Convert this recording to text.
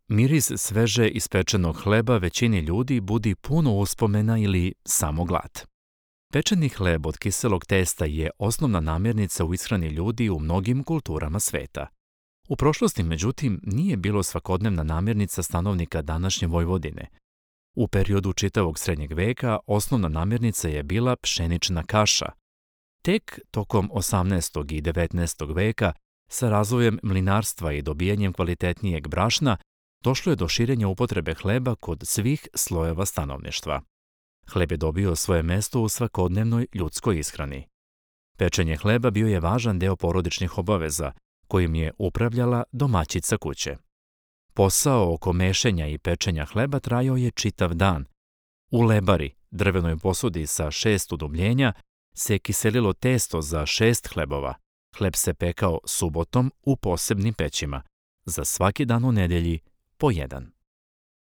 Miris sveže ispečenog hleba većini ljudi budi puno uspomena ili samo glad. Pečeni hleb od kiselog testa je osnovna namirnica u ishrani ljudi u mnogim kulturama sveta. U prošlosti, međutim, nije bilo svakodnevna namirnica stanovnika današnje Vojvodine. U periodu čitavog srednjeg veka osnovna namirnica je bila pšenična kaša. Tek tokom 18. i 19. veka, sa razvojem mlinarstva i dobijanjem kvalitetnijeg brašna, došlo je do širenja upotrebe hleba kod svih slojeva stanovništva. Hleb je dobio svoje mesto u svakodnevnoj ljudskoj ishrani. Pečenje hleba bio je važan deo porodičnih obaveza, kojim je upravljala domaćica kuće. Posao oko mešanja i pečenja hleba trajao je čitav dan. U lebari, drvenoj posudi sa 6 udubljenja, se kiselilo testo za 6 hlebova. Hleb se pekao subotom u posebnim pećima, za svaki dan u nedelji po jedan.